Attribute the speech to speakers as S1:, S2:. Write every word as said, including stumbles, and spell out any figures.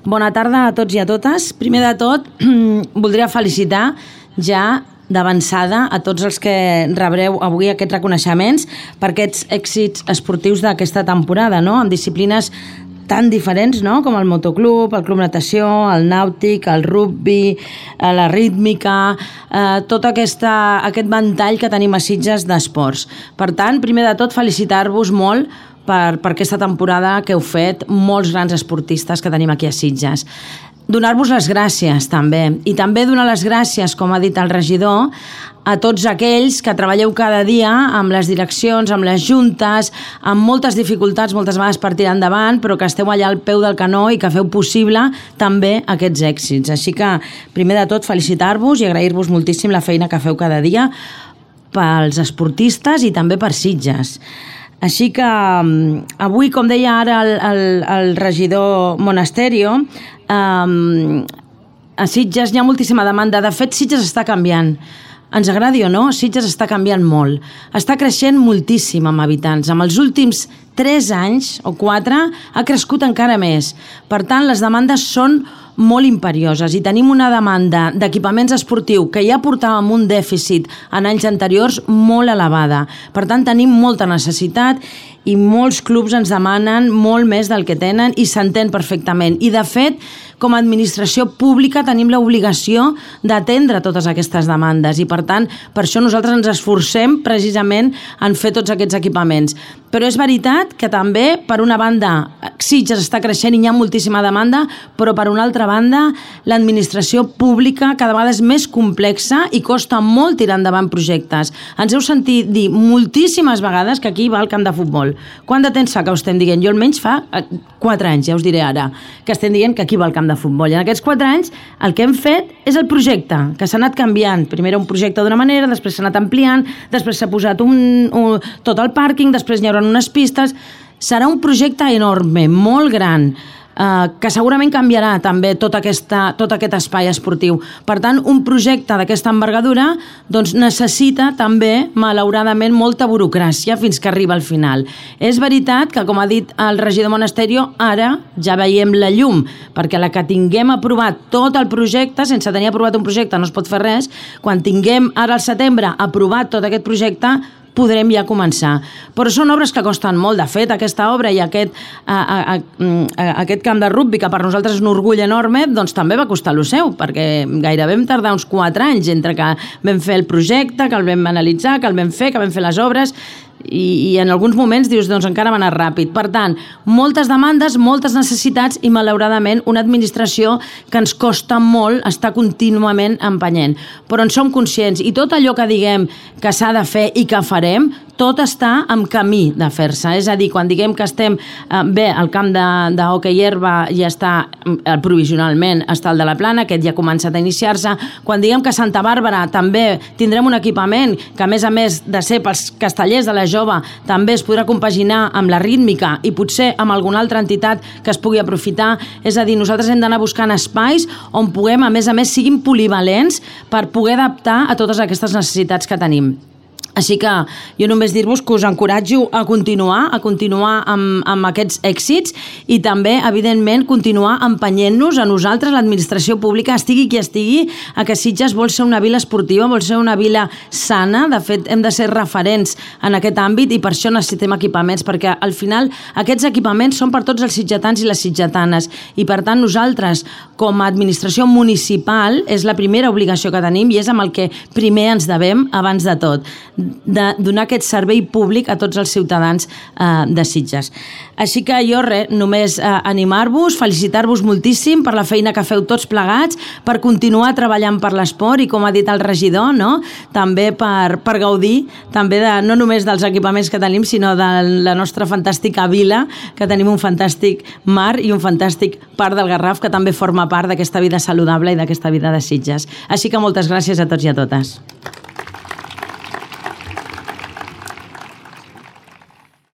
S1: Bona tarda a tots i a totes. Primer de tot, voldria felicitar ja d'avançada a tots els que rebreu avui aquests reconeixements per aquests èxits esportius d'aquesta temporada, no? En disciplines tan diferents, no? Com el motoclub, el club natació, el nàutic, el rugby, la rítmica, eh, tot aquesta, aquest ventall que tenim a Sitges d'esports. Per tant, primer de tot, felicitar-vos molt per, per aquesta temporada que heu fet molts grans esportistes que tenim aquí a Sitges. Donar-vos les gràcies també, i també donar les gràcies, com ha dit el regidor, a tots aquells que treballeu cada dia amb les direccions, amb les juntes, amb moltes dificultats, moltes vegades per tirar endavant, però que esteu allà al peu del canó i que feu possible també aquests èxits. Així que, primer de tot, felicitar-vos i agrair-vos moltíssim la feina que feu cada dia pels esportistes i també per Sitges. Així que avui, com deia ara el, el, el regidor Monasterio, um, a Sitges hi ha moltíssima demanda. De fet, Sitges està canviant. Ens agradi o no, Sitges està canviant molt. Està creixent moltíssim amb habitants. En els últims tres anys o quatre ha crescut encara més. Per tant, les demandes són molt imperioses i tenim una demanda d'equipaments esportius que ja portàvem un dèficit en anys anteriors molt elevada. Per tant, tenim molta necessitat i molts clubs ens demanen molt més del que tenen i s'entén perfectament. I, de fet, com a administració pública tenim l'obligació d'atendre totes aquestes demandes i, per tant, per això nosaltres ens esforcem precisament en fer tots aquests equipaments. Però és veritat que també, per una banda, Sitges està creixent i hi ha moltíssima demanda, però per una altra banda, l'administració pública cada vegada és més complexa i costa molt tirar endavant projectes. Ens heu sentit dir moltíssimes vegades que aquí va el camp de futbol. Quant de temps fa que ho estem dient? Jo almenys fa quatre anys, ja us diré ara, que estem dient que aquí va el camp de futbol. I en aquests quatre anys el que hem fet és el projecte, que s'ha anat canviant. Primer era un projecte d'una manera, després s'ha anat ampliant, després s'ha posat un, un, tot el pàrquing, després n'hi haurà unes pistes. Serà un projecte enorme, molt gran, eh, que segurament canviarà també tot, aquesta, tot aquest espai esportiu. Per tant, un projecte d'aquesta envergadura doncs, necessita també, malauradament, molta burocràcia fins que arriba al final. És veritat que, com ha dit el regidor Monasterio, ara ja veiem la llum, perquè la que tinguem aprovat tot el projecte, sense tenir aprovat un projecte no es pot fer res, quan tinguem ara al setembre aprovat tot aquest projecte, podrem ja començar. Però són obres que costen molt. De fet, aquesta obra i aquest, a, a, a, aquest camp de rugby, que per nosaltres és un orgull enorme, doncs també va costar lo seu, perquè gairebé vam tardar uns quatre anys entre que vam fer el projecte, que el vam analitzar, que el vam fer, que vam fer les obres, i, i en alguns moments dius, doncs encara va anar ràpid. Per tant, moltes demandes, moltes necessitats i, malauradament, una administració que ens costa molt estar contínuament empenyent. Però en som conscients i tot allò que diguem que s'ha de fer i que farem, tot està en camí de fer-se. És a dir, quan diguem que estem eh, bé, el camp d'hoquei herba ja està eh, provisionalment, està el de la Plana, aquest ja ha començat a iniciar-se. Quan diguem que a Santa Bàrbara també tindrem un equipament que, a més a més de ser pels castellers de la jove, també es podrà compaginar amb la rítmica i potser amb alguna altra entitat que es pugui aprofitar. És a dir, nosaltres hem d'anar buscant espais on puguem, a més a més, siguin polivalents per poder adaptar a totes aquestes necessitats que tenim. Així que jo només dir-vos que us encoratjo a continuar, a continuar amb, amb aquests èxits i també, evidentment, continuar empenyent-nos a nosaltres, l'administració pública, estigui qui estigui, a que Sitges vol ser una vila esportiva, vol ser una vila sana. De fet, hem de ser referents en aquest àmbit i per això necessitem equipaments, perquè al final aquests equipaments són per tots els sitgetans i les sitgetanes i, per tant, nosaltres, com a administració municipal, és la primera obligació que tenim i és amb el que primer ens devem abans de tot, de donar aquest servei públic a tots els ciutadans eh, de Sitges. Així que jo, res, només eh, animar-vos, felicitar-vos moltíssim per la feina que feu tots plegats, per continuar treballant per l'esport i, com ha dit el regidor, no? També per, per gaudir també de, no només dels equipaments que tenim, sinó de la nostra fantàstica vila, que tenim un fantàstic mar i un fantàstic parc del Garraf que també forma part d'aquesta vida saludable i d'aquesta vida de Sitges. Així que moltes gràcies a tots i a totes.